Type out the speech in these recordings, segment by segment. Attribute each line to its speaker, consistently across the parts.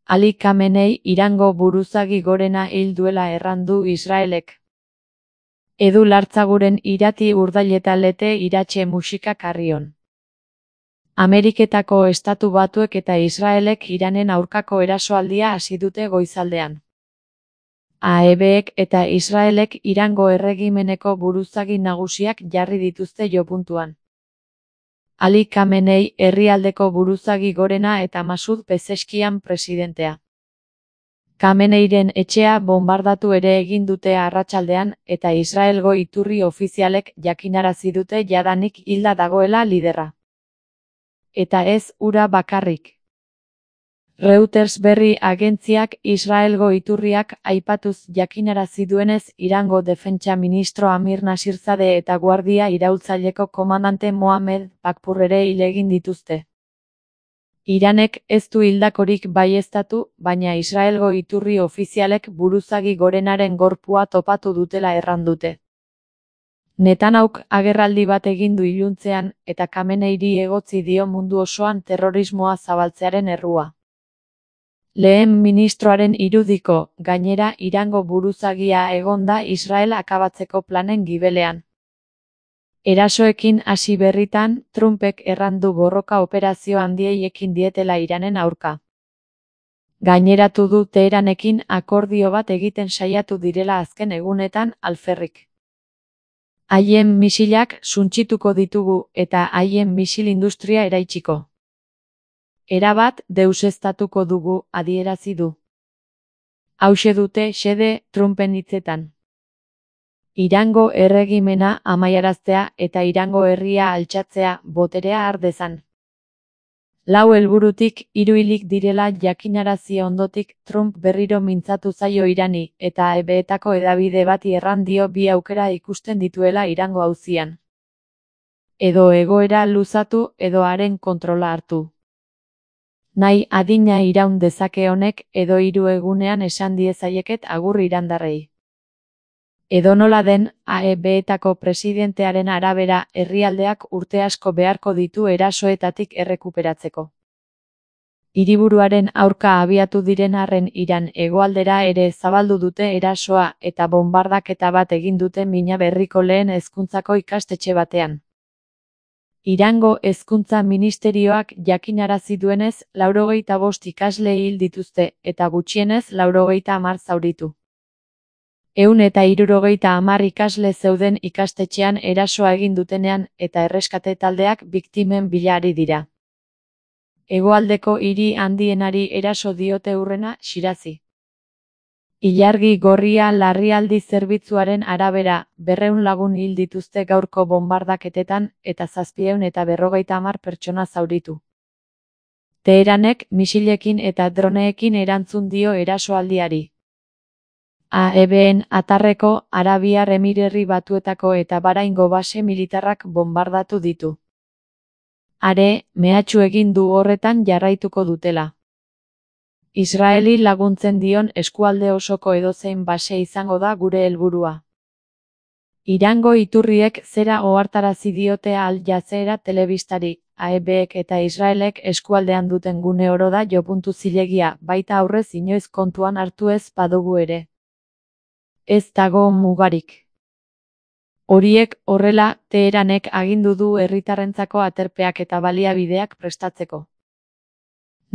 Speaker 1: Ali Khamenei Irango buruzagi gorena hil duela errandu Israelek. Edu Lartzaguren irati urdailetalete iratxe musika karrion. Ameriketako Estatu Batuek eta Israelek Iranen aurkako erasoaldia hasi dute goizaldean. AEBek eta Israelek Irango erregimeneko buruzagi nagusiak jarri dituzte jopuntuan. Ali Khamenei herrialdeko buruzagi gorena eta Masud Pezeskian presidentea. Khameneiren etxea bonbardatu ere egin dute arratsaldean eta Israelgo iturri ofizialek jakinarazi dute jadanik hilda dagoela liderra. Eta ez hura bakarrik. Reuters berri agentziak Israelgo iturriak aipatuz jakinarazi duenez Irango defentsa ministro Amir Nasirzade eta guardia iraultzaileko komandante Mohamed Bakpur ere hil egin dituzte. Iranek ez du hildakorik baieztatu, baina Israelgo iturri ofizialek buruzagi gorenaren gorpua topatu dutela errandute. Netanyahuk agerraldi bat egin du iluntzean eta Khameneiri egotzi dio mundu osoan terrorismoa zabaltzearen errua. Lehen ministroaren irudiko, gainera Irango buruzagia egon da Israel akabatzeko planen gibelean. Erasoekin hasi berritan, Trumpek errandu borroka operazio handiei ekin dietela Iranen aurka. Gaineratu du Teheranekin akordio bat egiten saiatu direla azken egunetan alferrik. Haien misilak suntsituko ditugu eta haien misil industria eraitsiko. Erabat deuseztatuko dugu, adierazi du. Hauxe dute xede Trumpen hitzetan. Irango erregimena amaiaraztea eta Irango herria altxatzea boterea har dezan. 4 helburutik 3 hilik direla jakinarazi ondotik Trump berriro mintzatu zaio Irani eta AEBetako hedabide bati erran dio bi aukera ikusten dituela Irango auzian. Edo egoera luzatu edo haren kontrola hartu. Nahi adina iraun dezake honek edo 3 egunean esan diezaieket agur irandarrei. Edonola den, AEBetako presidentearen arabera herrialdeak urte asko beharko ditu erasoetatik errekuperatzeko. Hiriburuaren aurka abiatu diren arren Iran hegoaldera ere zabaldu dute erasoa eta bonbardaketa bat egin dute Mina Berriko lehen hezkuntzako ikastetxe batean. Irango hezkuntza ministerioak jakinarazi duenez 95 ikasle hil dituzte eta gutxienez 90 zauritu. 170 ikasle zeuden ikastetxean erasoa egin dutenean eta erreskate taldeak biktimen bila ari dira. Hegoaldeko hiri handienari eraso diote hurrena Shirazi. Ilargi gorria larrialdi zerbitzuaren arabera 200 lagun hil dituzte gaurko bonbardaketetan eta 750 pertsona zauritu. Teheranek misilekin eta droneekin erantzun dio erasoaldiari. AEBen atarreko Arabiar Emirerri Batuetako eta Bahraingo base militarrak bonbardatu ditu. Are, mehatxu egin du horretan jarraituko dutela. Israeli laguntzen dion eskualde osoko edozein base izango da gure helburua. Irango iturriek zera ohartarazi diote Al Jazeera telebistari, AEBek eta Israelek eskualdean duten gune oro da jopuntu zilegia, baita aurrez inoiz kontuan hartu ez badugu ere. Ez dago mugarik. Horiek horrela, Teheranek agindu du herritarrentzako aterpeak eta baliabideak prestatzeko.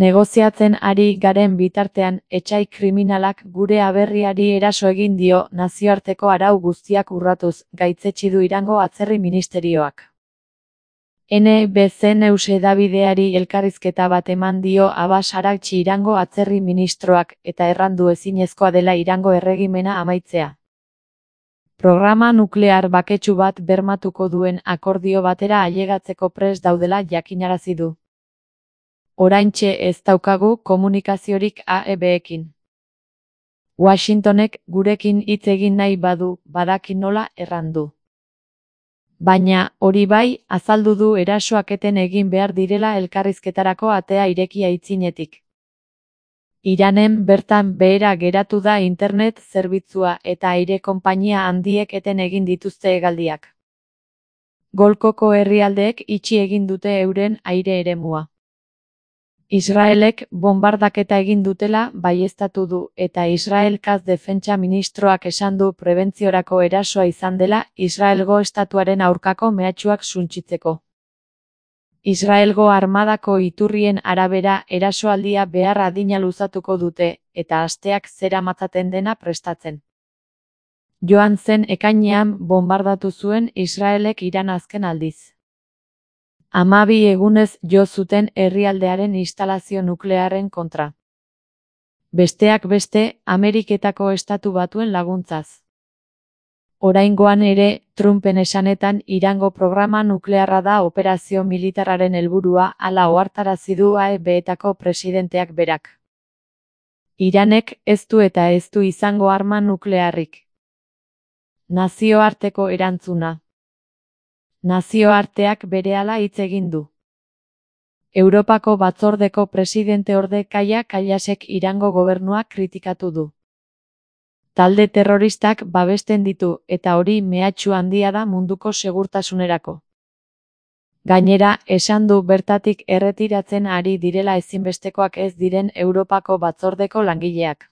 Speaker 1: Negoziatzen ari garen bitartean, etsai kriminalak gure aberriari eraso egin dio nazioarteko arau guztiak urratuz, gaitzetsi du Irango atzerri ministerioak. NBC News hedabideari elkarrizketa bat eman dio Abbas Araghchi Irango atzerri ministroak eta errandu ezinezkoa dela Irango erregimena amaitzea. Programa nuklear baketsu bat bermatuko duen akordio batera ailegatzeko prest daudela jakinarazi du. Oraintxe ez daukagu komunikaziorik AEBekin. Washingtonek gurekin hitz egin nahi badu, badaki nola errandu. Baina, hori bai, azaldu du erasoak eten egin behar direla elkarrizketarako atea irekia aitzinetik. Iranen bertan behera geratu da internet zerbitzua eta aire konpainia handiek eten egin dituzte hegaldiak. Golkoko herrialdeek itxi egin dute euren aire eremua. Israelek bonbardaketa egin dutela baieztatu du eta Israelkaz defentsa ministroak esan du prebentziorako erasoa izan dela Israelgo estatuaren aurkako mehatxuak suntsitzeko. Israelgo armadako iturrien arabera erasoaldia behar adina luzatuko dute eta asteak zeramatzaten dena prestatzen. Joan zen ekainean bonbardatu zuen Israelek Iran azken aldiz. 12 egunez jo zuten herrialdearen instalazio nuklearren kontra. Besteak beste, Ameriketako Estatu Batuen laguntzaz. Oraingoan ere, Trumpen esanetan Irango programa nuklearra da operazio militarraren helburua hala ohartarazi du AEB-etako presidenteak berak. Iranek ez du eta ez du izango arma nuklearrik. Nazioarteko erantzuna. Nazioarteak berehala hitz egin du. Europako batzordeko presidente-orde Kaja Kallasek Irango gobernua kritikatu du. Talde terroristak babesten ditu eta hori mehatxu handia da munduko segurtasunerako. Gainera, esan du bertatik erretiratzen ari direla ezinbestekoak ez diren Europako batzordeko langileak.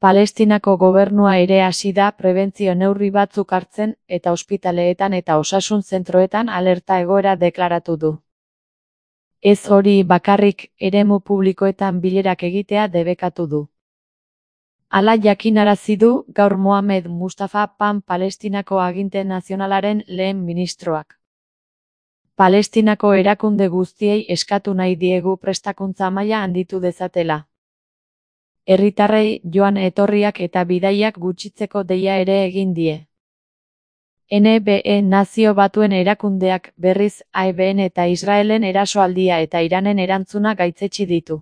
Speaker 1: Palestinako gobernua ere hasi da prebentzio neurri batzuk hartzen eta ospitaleetan eta osasun zentroetan alerta egoera deklaratu du. Ez hori bakarrik, eremu publikoetan bilerak egitea debekatu du. Hala jakinarazi du gaur Mohamed Mustafa Pan Palestinako aginte nazionalaren lehen ministroak. Palestinako erakunde guztiei eskatu nahi diegu prestakuntza maila handitu dezatela. Herritarrei joan etorriak eta bidaiak gutxitzeko deia ere egin die. NBE Nazio Batuen erakundeak berriz AEBn eta Israelen erasoaldia eta Iranen erantzuna gaitzetsi ditu.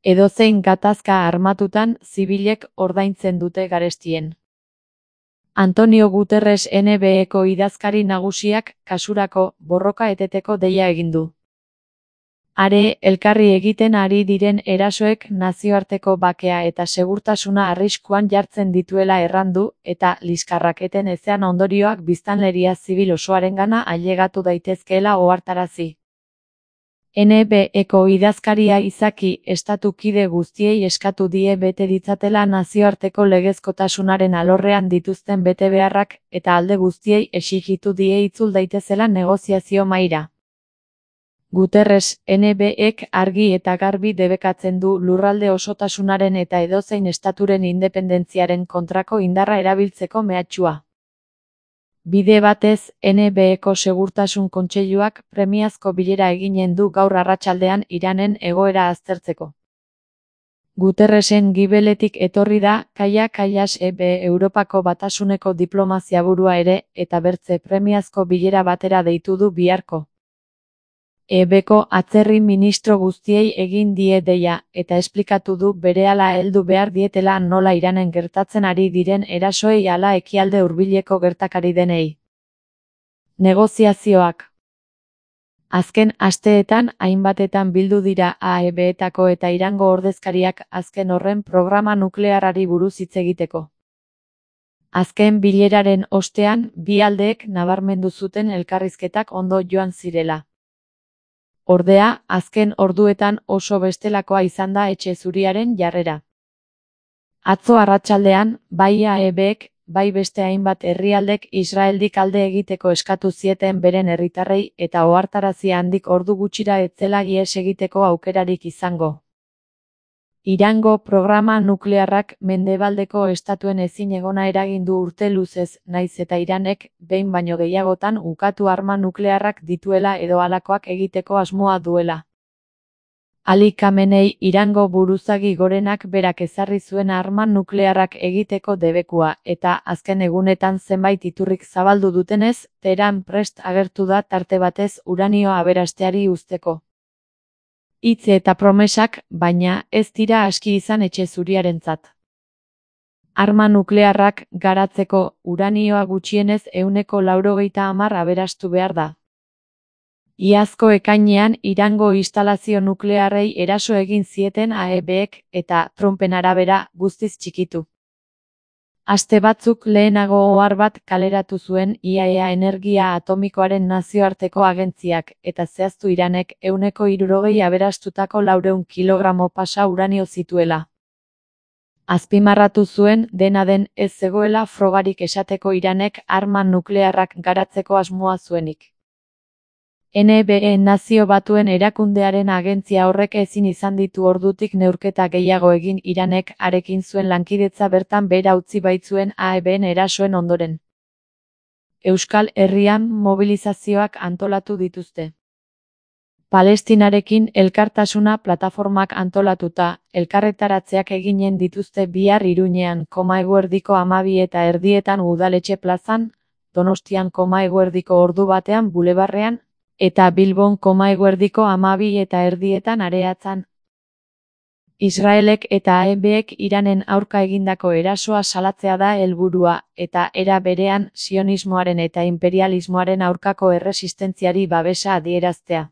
Speaker 1: Edozein gatazka armatutan zibilek ordaintzen dute garestien. Antonio Guterres NBEko idazkari nagusiak kasurako borroka eteteko deia egin du. Are, elkarri egiten ari diren erasoek nazioarteko bakea eta segurtasuna arriskuan jartzen dituela errandu eta liskarraketen ezean ondorioak biztanleria zibil osoarengana ailegatu daitezkeela ohartarazi. NBEko idazkaria izaki estatu kide guztiei eskatu die bete ditzatela nazioarteko legezkotasunaren alorrean dituzten betebeharrak eta alde guztiei exijitu die itzul daitezela negoziazio mahaira. Guterres, NBEk argi eta garbi debekatzen du lurralde osotasunaren eta edozein estaturen independentziaren kontrako indarra erabiltzeko mehatxua. Bide batez, NBEko Segurtasun Kontseiluak premiazko bilera eginen du gaur arratsaldean Iranen egoera aztertzeko. Guterresen gibeletik etorri da Kaja Kallas Europako Batasuneko diplomazia burua ere eta bertze premiazko bilera batera deitu du biharko. EBko atzerri ministro guztiei egin die deia eta esplikatu du berehala heldu behar dietela nola Iranen gertatzen ari diren erasoei ala ekialde hurbileko gertakari denei. Negoziazioak. Azken asteetan hainbatetan bildu dira AEB-etako eta Irango ordezkariak azken horren programa nuklearrari buruz hitz egiteko. Azken bileraren ostean bi aldeek nabarmendu zuten elkarrizketak ondo joan zirela. Ordea, azken orduetan oso bestelakoa izan da Etxe Zuriaren jarrera. Atzo arratsaldean, bai AEBek, bai beste hainbat herrialdek Israeldik alde egiteko eskatu zieten beren herritarrei eta ohartarazi handik ordu gutxira ez zela ihes egiteko aukerarik izango. Irango programa nuklearrak mendebaldeko estatuen ezinegona eragin du urte luzez, nahiz eta Iranek behin baino gehiagotan ukatu arma nuklearrak dituela edo halakoak egiteko asmoa duela. Ali Khamenei Irango buruzagi gorenak berak ezarri zuen arma nuklearrak egiteko debekua eta azken egunetan zenbait iturrik zabaldu dutenez, Teheran prest agertu da tarte batez uranioa aberasteari uzteko. Hitz eta promesak, baina, ez dira aski izan Etxe Zuriarentzat. Arma nuklearrak garatzeko uranioa gutxienez 190 aberastu behar da. Iazko ekainean Irango instalazio nuklearrei eraso egin zieten AEBek eta Trumpen arabera guztiz txikitu. Aste batzuk lehenago ohar bat kaleratu zuen IAEA energia atomikoaren nazioarteko agentziak, eta zehaztu Iranek 160 aberastutako 400 kilogramo pasa uranio zituela. Azpimarratu zuen, dena den, ez zegoela frogarik esateko Iranek arma nuklearrak garatzeko asmoa zuenik. NBE Nazio Batuen erakundearen agentzia horrek ezin izan ditu ordutik neurketa gehiago egin Iranek harekin zuen lankidetza bertan behera utzi baitzuen AEBen erasoen ondoren. Euskal Herrian mobilizazioak antolatu dituzte. Palestinarekin elkartasuna plataformak antolatuta, elkarretaratzeak eginen dituzte bihar Iruñean 12:30 Udaletxe plazan, Donostian 12:00 ordu batean Bulebarrean, eta Bilbon 12:30 Areatzan. Israelek eta AEBek Iranen aurka egindako erasoa salatzea da helburua, eta era berean sionismoaren eta inperialismoaren aurkako erresistentziari babesa adieraztea.